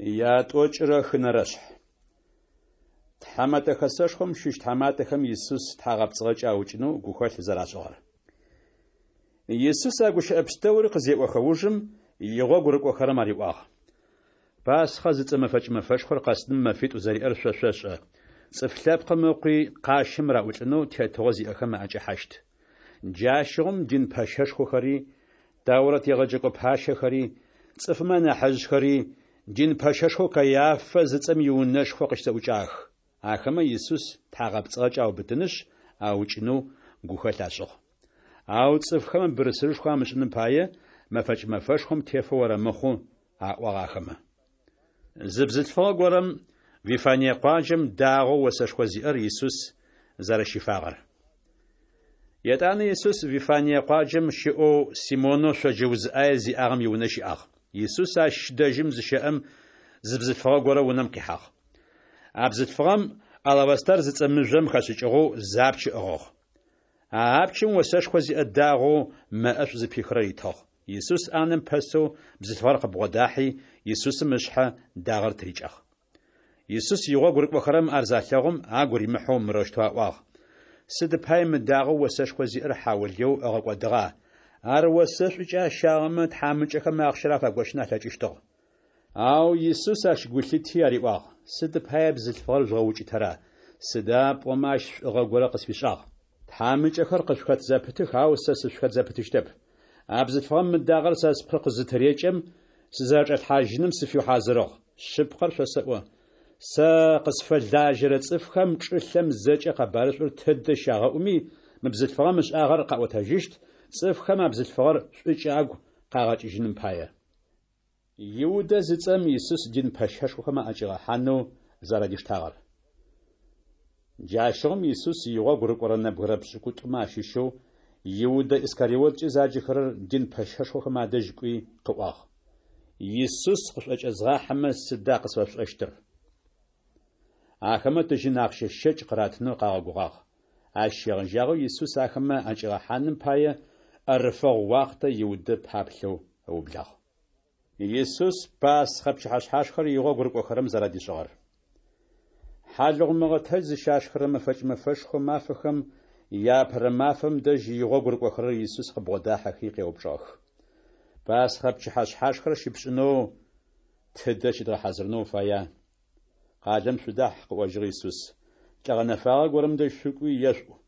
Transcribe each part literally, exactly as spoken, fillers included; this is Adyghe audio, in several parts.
Ятӏокӏырэ хынэрэшъхь. Тхьэмэтэ Хэсэшхом щыщ тхьаматэхэм Исус тхьагъэпцӏыгъэкӏэ аукӏынэу гухэлъ зэрашӏыгъэр. Исус а гущыӏэ пстэури къызеӏохэ ужым, игъогу рыкӏохэрэм ариӏуагъ: Пасхъэ зыцӏэ мэфэкӏ мэфэшхор къэсыным мэфитӏу зэриӏэр шъо шъошӏэ. Цӏыф Лъэпкъым Ыкъуи къащым раӏулӏынэу тетыгъо зиӏэхэм аӏэкӏэхьащт. Джащыгъум дин пэщэшхохэри, Тэурат егъэджэкӏо пащэхэри, цӏыфмэ анахьыжъхэри дин пэщэшхоу Каиафэ зыцӏэм иунэшхо къыщызэӏукӏагъэх. Ахэмэ Исус тхьагъэпцӏыгъэкӏэ аубытынышъ, аукӏынэу гухэлъ ашӏыгъ. Ау цӏыфхэм бырсырышхо амышӏыным пае, мэфэкӏ мэфэшхом тефэу орэмыхъу, аӏуагъ ахэмэ. Зы бзылъфыгъэ горэм Вифание къуаджэм дагъэу осэшхо зиӏэр Исус зэрэщифагъэр. Етӏанэ Исус Вифание къуаджэм щыӏэу Симонэу шъоджэ уз ӏае зиӏагъэм иунэ щыӏагъ. Исус ащ дэжьым зыщэӏэм, зы бзылъфыгъэ горэ унэм къихьагъ. А бзылъфыгъэм алавастар зыцӏэ мыжъом хэшӏыкӏыгъэу зы апч ыӏыгъыгъ. А апчым осэшхо зиӏэ дагъэу мэ ӏэшӏу зыпихырэр итыгъ. Исус ӏанэм пэсэу бзылъфыгъэр къыбгъодахьи, Исусым ышъхьэ дагъэр тырикӏагъ. Исус игъогу рыкӏохэрэм ар залъэгъум, агу римыхьэу мырэущтэу аӏуагъ: Сыд пай мы дагъэу осэшхо зиӏэр хьаулыеу ыгъэкӏодыгъа? Ар осэшӏукӏэ ащагъэмэ, тхьамыкӏэхэм ахъщэр афагощын алъэкӏыщтыгъ. Ау Исус ащ гу лъити ариӏуагъ: Сыд пае бзылъфыгъэр жъугъэукӏытэра? Сыда пӏомэ ащ шӏугъэ горэ къысфишӏагъ. Тхьамыкӏэхэр къышъухэт зэпытых, ау сэ сышъухэт зэпытыщтэп. А бзылъфыгъэм мы дагъэр сэ спкъы къызытырекӏэм, сызэрэчӏэлъхьажьыным сыфиухьазырыгъ. Шъыпкъэр шъосэӏо, сэ къысфэлажьэрэ цӏыфхэм чӏылъэм зэкӏэ къэбарышӏур тыдэ щагъэӏуми, мы бзылъфыгъэм ышӏагъэр къаӏотэжьыщт, цӏыфхэм а бзылъфыгъэр шӏукӏэ агу къагъэкӏыжьыным пае. Иудэ зыцӏэм Исус дин пэщэшхохэм аӏэкӏигъэхьанэу зэрадиштагъэр. Джащыгъум Исус игъогу рыкӏорэ нэбгырэ пшӏыкӏутӏумэ ащыщэу Иудэ Искариоткӏэ заджэхэрэр дин пэщэшхохэм адэжь кӏуи къыӏуагъ: Исус къышъуӏэкӏэзгъахьэмэ, сыда къысфэшъушӏэщтыр? Ахэмэ тыжьын ахъщэ щэкӏ къыратынэу къагъэгугъагъ. Ащ щегъэжьагъэу Исус ахэмэ аӏэкӏигъэхьаным пае ӏэрыфэгъу уахътэ Иудэ паплъэу ыублагъ. Исус Пасхъэ пчыхьэшъхьашхэр игъогу рыкӏохэрэм зэрадишӏыгъэр. Хьалыгъу мыгъэтэдж зыщашхырэ мэфэкӏ мэфэшхо мафэхэм яапэрэ мафэм дэжь игъогу рыкӏохэрэр Исус къыбгъодахьэхи къеупчӏыгъэх: Пасхъэ пчыхьэшъхьашхэр щыпшӏынэу тыдэ щыдгъэхьазырынэу уфая? Къалэм шъудахь, къыӏожьыгъ Исус, лӏы гъэнэфагъэ горэм дэжь шъукӏуи ешъуӏу: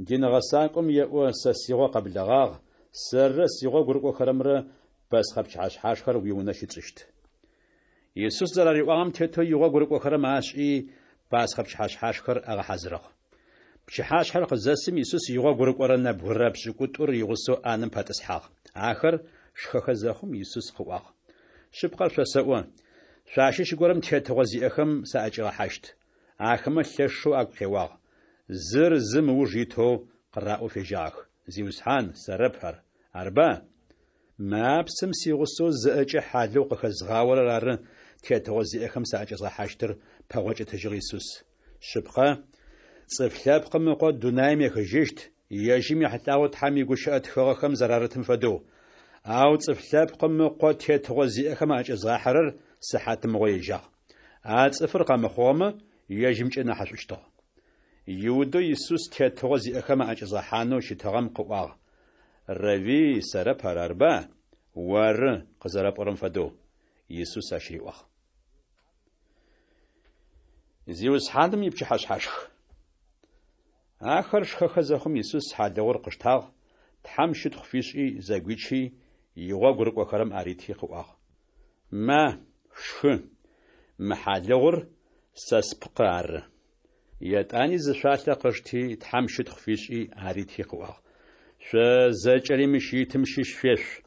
Дин гъэсакӏом еӏо: Сэ сигъо къэблэгъагъ, сэррэ сигъогу рыкӏохэрэмрэ Пасхъэ пчыхьэшъхьашхэр уиунэ щытшӏыщт. Исус зэрариӏуагъэм тетэу игъогу рыкӏохэрэм ашӏи, Пасхъэ пчыхьэшъхьашхэр агъэхьазырыгъ. Пчыхьашъхьэр къызэсым Исус игъогу рыкӏорэ нэбгырэ пшӏыкӏутӏур игъусэу ӏанэм пэтӏысхьагъ. Ахэр шхэхэ зэхъум, Исус къыӏуагъ: Шъыпкъэр шъосэӏо, шъуащыщ горэм тетыгъо зиӏэхэм саӏэкӏигъэхьащт. Ахэмэ лъэшэу агу къеуагъ. Зыр зым ыуж итэу къыраӏоу фежьагъэх: Зиусхьан, сэрэп ар, арба? Мы апсым сигъусэу зыӏэкӏэ хьалыгъу къыхэзгъаорэр ары тетыгъо зиӏэхэм саӏэкӏэзгъэхьащтыр, пэгъокӏ ытыжьыгъ Исус. Шъыпкъэ, Цӏыф Лъэпкъым Ыкъо дунаим ехыжьыщт, ежьым ехьылӏагъэу Тхьэм игущыӏэ тхыгъэхэм зэрарытым фэдэу. Ау Цӏыф Лъэпкъым Ыкъо тетыгъо зиӏэхэм аӏэкӏэзгъахьэрэр сыхьатымыгъо ежьагъ. А цӏыфыр къэмыхъугъэмэ, ежьымкӏэ нахьышӏущтыгъ. Иудэу Исус тетыгъо зиӏэхэм аӏэкӏэзгъэхьанэу щытыгъэм къыӏуагъ: Равви, сэрэп ар, арба? Оры, къызэрэпӏорэм фэдэу, Исус ащ риӏуагъ. Зиусхьаным ипчыхьэшъхьашх. Ахэр шхэхэ зэхъум, Исус хьалыгъур къыштагъ, Тхьэм щытхъу фишӏи, зэгуичи, игъогу рыкӏохэрэм арити къыӏуагъ: Ма, шъушхы, мы хьалыгъур сэ спкъы ары. Етӏани зы шъуалъэ къышти, Тхьэм щытхъу фишӏи, арити къыӏуагъ: Шъо зэкӏэри мыщ итым щыщ шъуешъу.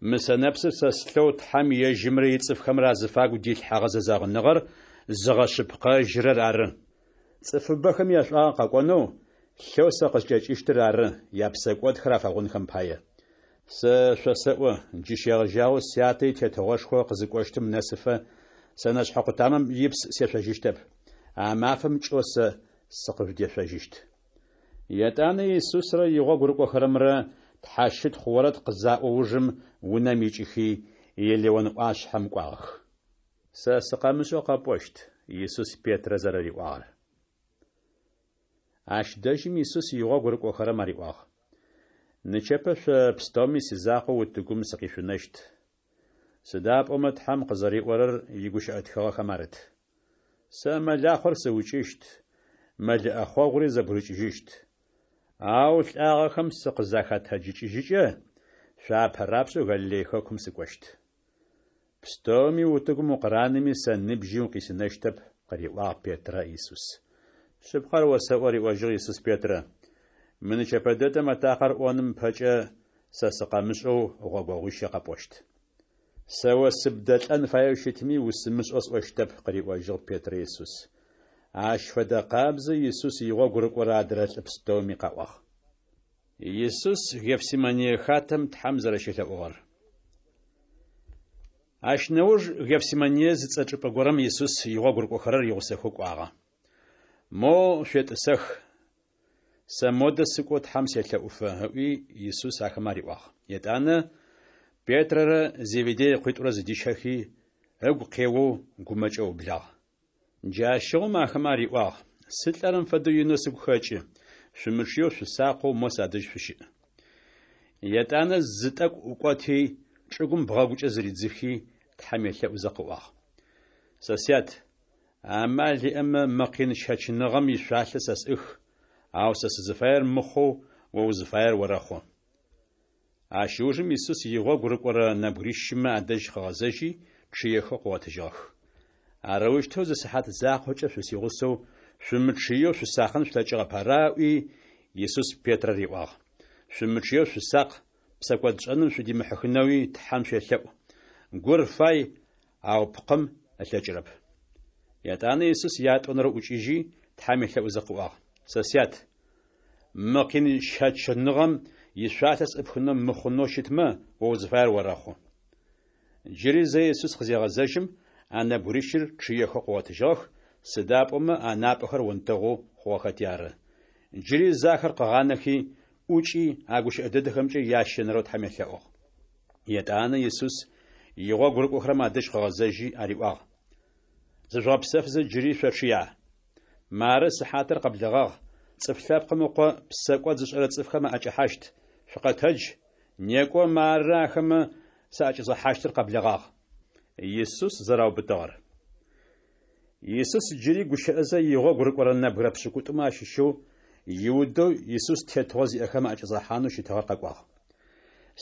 Мы сэнэпсыр сэ слъэу Тхьэм ежьымрэ ицӏыфхэмрэ азыфагу дилъхьэгъэ зэзэгъыныгъэр зыгъэшъыпкъэжьырэр ары. Цӏыфыбэхэм яшӏуагъэ къэкӏонэу, лъэу сэ къыскӏэкӏыщтыр ары, япсэкӏодхэр афэгъунхэм пае. Сэ шъосэӏо, джы щегъэжьагъэу Сятэ и Тетыгъошхо къызыкӏощтым нэсыфэ сэнэшъхьэ къутамэм ипс сешъожьыщтэп. А мафэм кӏэу сэ сыкъыжъудешъожьыщт. Етӏанэ Исусрэ игъогу рыкӏохэрэмрэ тхьэщытхъу орэд къызаӏо ужым унэм икӏыхи, Елеон ӏуашъхьэм кӏуагъэх. Сэ сыкъэмышӏэу къэпӏощт, Исус Петрэ зэрэриӏуагъэр. Ащ дэжьым Исус игъогу рыкӏохэрэм ариӏуагъ: Нычэпэ шъо пстэуми сизакъоу утыгум сыкъишъунэщт. Сыда пӏомэ Тхьэм къызэриӏорэр игущыӏэ тхыгъэхэм арыт: Сэ мэлахъор сыукӏыщт, мэл ӏэхъогъури зэбгырыкӏыжьыщт. Ау лӏагъэхэм сыкъызахэтэджыкӏыжьыкӏэ, шъо апэ рапшӏэу Галилей хэкум сыкӏощт. Пстэуми утыгум укъыранэми, сэ ныбжьи укъисынэщтэп, къыриӏуагъ Петрэ Исус. Шъыпкъэр осэӏо, риӏожьыгъ Исус Петрэ, мы нычэпэ дэдэм атакъэр ӏоным ыпэкӏэ сэ сыкъэмышӏэу гъогогъуищэ къэпӏощт. Сэ о сыбдэлӏэн фаеу щытми, усымышӏэу сӏощтэп, къыриӏожьыгъ Петрэ Исус. Ащ фэдэ къабзэу Исус игъогу рыкӏорэ адрэ лӏы пстэуми къаӏуагъ. Исус Гефсимание хатэм Тхьэм зэрэщелъэӏугъэр. Ащ нэуж Гефсимание зыцӏэ чӏыпӏэ горэм Исус игъогу рыкӏохэрэр игъусэхэу кӏуагъэ. Моу шъуетӏысэх, сэ модэ сыкӏоу Тхьэм селъэӏуфэ, ыӏуи Исус ахэмэ ариӏуагъ. Етӏанэ Петрэрэ Зеведей ыкъуитӏурэ зыдищэхи, ыгу къеоу гумэкӏэу ыублагъ. Джащыгъум ахэмэ ариӏуагъ: Сылӏэрэм фэдэу инэу сыгу хэкӏы, шъумычъыеу шъусакъэу мо садэжь шъущыӏ. Етӏанэ зы тӏэкӏу ӏукӏоти, чӏыгум бгъэгукӏэ зыридзыхи, Тхьэм елъэӏузэ къыӏуагъ: Сэ Сят, амал иӏэмэ, мы къин щэчыныгъэм ишъуалъэ сэ сӏых, ау сэ сызыфаер мыхъоу о узыфаер орэхъу. Ащ ыужым Исус игъогу рыкӏорэ нэбгырищымэ адэжь къыгъэзэжьи, чъыехэу къыгъотыжьыгъэх. Арэущтэу зы сыхьат закъокӏэ шъусигъусэу шъумычъыеу шъусакъын шъулъэкӏыгъэп, ара ыӏуи, Исус Петрэ риӏуагъ. Шъумычъыеу шъусакъ, псэкӏодшӏэным шъудимыхьыхынэуи Тхьэм шъуелъэӏу. Гур фай, ау пкъым ылъэкӏырэп. Етӏанэ Исус ятӏонэрэу ӏукӏыжьи, Тхьэм елъэӏузэ къыӏуагъ: Сэ Сят, мы къин щэчыныгъэм ишъуалъэ сӏыпхынэу мыхъунэу щытмэ, о узыфаер орэхъу. Джыри зэ Исус къызегъэзэжьым, а нэбгырищыр чъыехэу къыгъотыжьыгъэх, сыда пӏомэ анапӏэхэр онтэгъоу хъугъэхэти ары. Джыри зэ ахэр къыгъанэхи, ӏукӏи а гущыӏэ дэдэхэмкӏэ ящэнэрэу Тхьэм елъэӏугъ. Етӏанэ Исус игъогу рыкӏохэрэм адэжь къыгъэзэжьи ариӏуагъ: Зыжъугъэпсэфызэ джыри шъочъыя? Мары сыхьатыр къэблэгъагъ, Цӏыф Лъэпкъым Ыкъо псэкӏод зышӏэрэ цӏыфхэм аӏэкӏэхьащт. Шъукъэтэдж, некӏо, мары ахэмэ саӏэкӏэзгъэхьащтыр къэблэгъагъ. Исус зэраубытыгъэр. Исус джыри гущыӏэзэ игъогу рыкӏорэ нэбгырэ пшӏыкӏутӏумэ ащыщэу Иудэу Исус тетыгъо зиӏэхэм аӏэкӏэзгъэхьанэу щытыгъэр къэкӏуагъ.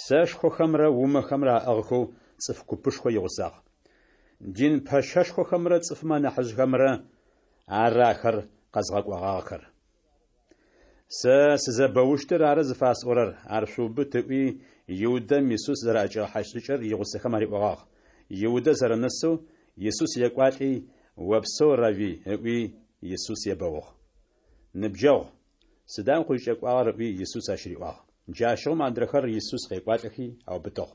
Сэшхохэмрэ умэхэмрэ аӏыгъхэу цӏыф купышхо игъусагъ. Дин пэщэшхохэмрэ цӏыфмэ анахьыжъхэмрэ ары ахэр къэзгъэкӏогъагъэхэр. Сэ сызэбэущтыр ары зыфасӏорэр, ар шъуубыт, ыӏуи, Иудэм Исус зэраӏэкӏигъэхьащт шӏыкӏэр игъусэхэм ариӏогъагъ. Иудэ зэрэнэсэу Исус екӏуалӏи, Опсэу, Равви, ыӏуи, Исус ебэугъ. Ныбджэгъу, сыда укъызкӏэкӏуагъэр, ыӏуи, Исус ащ риӏуагъ. Джащыгъум адрэхэр Исус къекӏуалӏэхи аубытыгъ.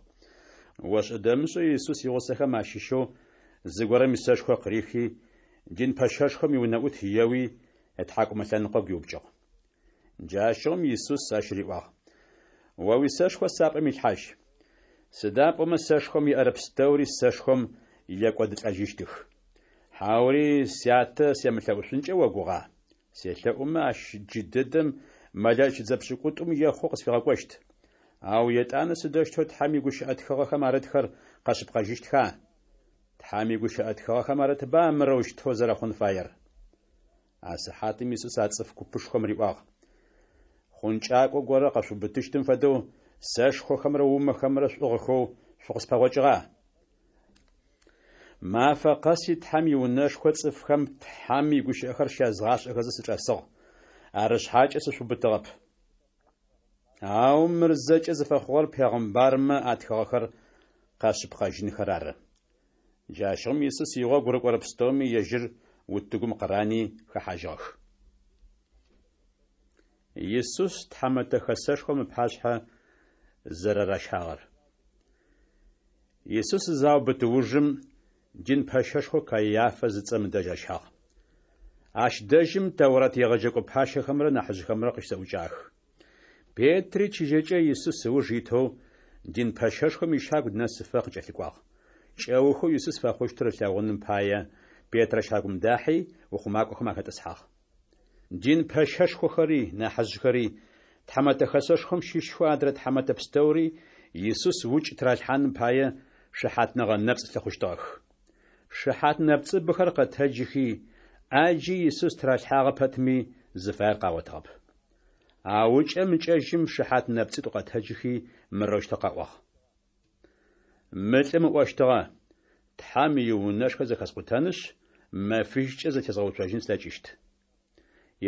Ошӏэ-дэмышӏэу Исус игъусэхэм ащыщэу зыгорэм исэшхо къырихи, дин пэщэшхом иунэӏут еуи, ытхьакӏумэ лъэныкъо гуиупкӏыгъ. Джащыгъум Исус ащ риӏуагъ: О уисэшхо сапӏэм илъхьажь. Сыда пӏомэ сэшхом еӏэрэ пстэури сэшхом екӏодылӏэжьыщтых. Хьаури Сятэ семылъэӏушъункӏэ огугъа? Селъэӏумэ, ащ джы дэдэм мэлэӏич дзэ пшӏыкӏутӏум ехъу къысфигъэкӏощт. Ау етӏанэ сыдэущтэу Тхьэм игущыӏэ тхыгъэхэм арытхэр къэшъыпкъэжьыщтха? Тхьэм игущыӏэ тхыгъэхэм арытба мырэущтэу зэрэхъун фаер? А сыхьатым Исус а цӏыф купышхом риӏуагъ: Хъункӏакӏо горэ къэшъуубытыщтым фэдэу сэшхохэмрэ умэхэмрэ шъуӏыгъхэу шъукъыспэгъокӏыгъа? Мафэ къэси Тхьэм иунэшхо цӏыфхэм Тхьэм игущыӏэхэр щязгъашӏэхэзэ сычӏэсыгъ. Ары шъхьакӏэ сышъуубытыгъэп. Ау мыр зэкӏэ зыфэхъугъэр пегъымбармэ атхыгъэхэр къэшъыпкъэжьынхэр ары. Джащыгъум Исус игъогу рыкӏорэ пстэуми ежьыр утыгум къырани хэхьажьыгъэх. Исус тхьамэтэ хэсэшхом ыпашъхьэ зэрэращагъэр. Исус заубыт ужым дин пэщэшхо Каиафэ зыцӏэм ыдэжь ащагъ. Ащ дэжьым Тэурат егъэджэкӏо пащэхэмрэ нахьыжъхэмрэ къыщызэӏукӏагъэх. Петри чыжьэкӏэ Исус ыуж итэу дин пэщэшхом ищагу нэсыфэ къыкӏэлъыкӏуагъ. Кӏэухэу Исус фэхъущтыр ылъэгъуным пае, Петрэ щагум дахьи, ухъумакӏохэм ахэтӏысхьагъ. Дин пэщэшхохэри, нахьыжъхэри, Тхьэмэтэ Хэсэшхом щыщхэу адрэ тхьэмэтэ пстэури Исус укӏ тыралъхьаным пае шыхьатныгъэ нэпцӏ лъыхъущтыгъэх. Шыхьат нэпцӏыбэхэр къэтэджыхи, ӏаджи Исус тыралъхьагъэ пэтми, зыфаер къагъотыгъэп. Ау ыкӏэм-ыкӏэжьым шыхьат нэпцӏитӏу къэтэджыхи, мырэущтэу къаӏуагъ. Мы лӏым ыӏощтыгъэ: Тхьэм иунэшхо зэхэскъутэнышъ, мэфищкӏэ зэтезгъэуцожьын слъэкӏыщт.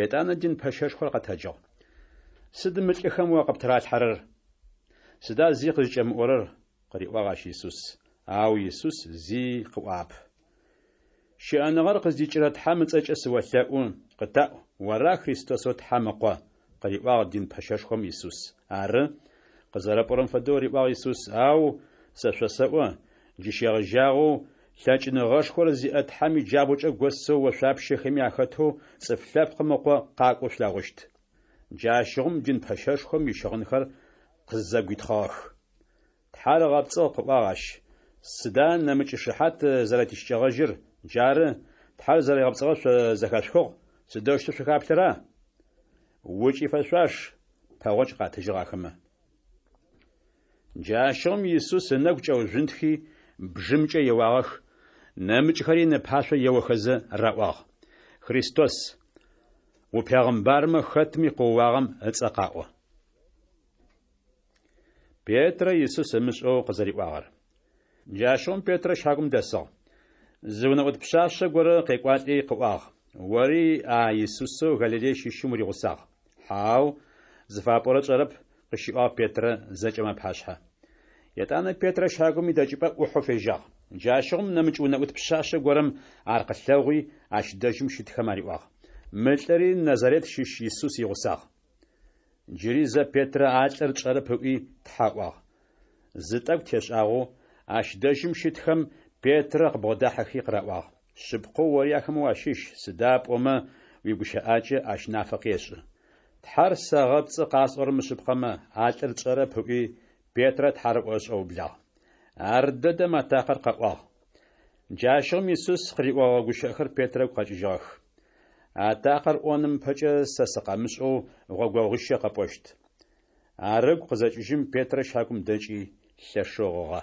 Етӏанэ дин пэщэшхор къэтэджыгъ. Сыд мы лӏыхэм о къыптыралъхьэрэр? Сыда зи къызкӏэмыӏорэр? къыриӏуагъ ащ Исус. Ау Исус зи къыӏуагъэп. Щыӏэныгъэр къыздикӏырэ Тхьэм ыцӏэкӏэ сыолъэӏу, къытаӏу, ора Христосэу Тхьэм Ыкъо? къыриӏуагъ дин пэщэшхом Исус. Ары, къызэрэпӏорэм фэдэу, риӏуагъ Исус, ау сэ шъосэӏо, джы щегъэжьагъэу лъэкӏыныгъэшхор зиӏэ Тхьэм иджабгъукӏэ госэу ошъуапщэхэми ахэтэу Цӏыф Лъэпкъым Ыкъо къакӏоу шъулъэгъущт. Джащыгъум дин пэщэшхом ищыгъынхэр къызэгуитхъыгъэх. Тхьэр ыгъэпцӏыгъ, къыӏуагъ ащ. Сыда нэмыкӏ шыхьат зэрэтищыкӏэгъэжьыр? Джары, Тхьэр зэригъэпцӏыгъэр шъо зэхэшъухыгъ, сыдэущтэу шъухаплъэра? Укӏ ифэшъуаш, пэгъокӏ къатыжьыгъ ахэмэ. Джащыгъум Исус ынэгу кӏэужъунтхи, бжымкӏэ еуагъэх, нэмыкӏхэри ыпашъо еохэзэ раӏуагъ: Христос, упегъымбармэ, хэтми къыоуагъэм ыцӏэ къаӏо. Петрэ Исус ымышӏэу къызэриӏуагъэр. Джащыгъум Петрэ щагум дэсыгъ. Зы унэӏут пшъашъэ горэ къекӏуалӏи къыӏуагъ: Ори а Исусэу Галилей щыщым уригъусагъ. Хьау, зыфапӏорэр тшӏэрэп, къыщиӏуагъ Петрэ зэкӏэм апашъхьэ. Етӏанэ Петрэ щагум идэкӏыпӏэ ӏухьэу фежьагъ. Джащыгъум нэмыкӏ унэӏут пшъашъэ горэм ар къылъэгъуи, ащ дэжьым щытхэм ариӏуагъ: Мы лӏыри Назарет щыщ Исус игъусагъ. Джыри зэ Петрэ а лӏыр тшӏэрэп ыӏуи, тхьэ ыӏуагъ. Зы тӏэкӏу тешӏагъэу, ащ дэжьым щытхэм Петрэ къыбгъодахьэхи къыраӏуагъ: Шъыпкъэу ори ахэмэ уащыщ, сыда пӏомэ уигущыӏакӏэ ащ нафэ къешӏы. Тхьэр сэгъэпцӏы къасӏорэр мышъыпкъэмэ, а лӏыр тшӏэрэп, ыӏуи, Петрэ тхьарыӏо ышӏэублагъ. Ардэдэм атакъэр къэӏуагъ. Джащыгъум Исус къыриӏогъэ гущыӏэхэр Петрэ ыгу къэкӏыжьыгъэх: Атакъэр ӏоным ыпэкӏэ сэ сыкъэмышӏэу гъогогъуищэ къэпӏощт. Ар ыгу къызэкӏыжьым, Петрэ щагум дэкӏи, лъэшэу гъыгъэ.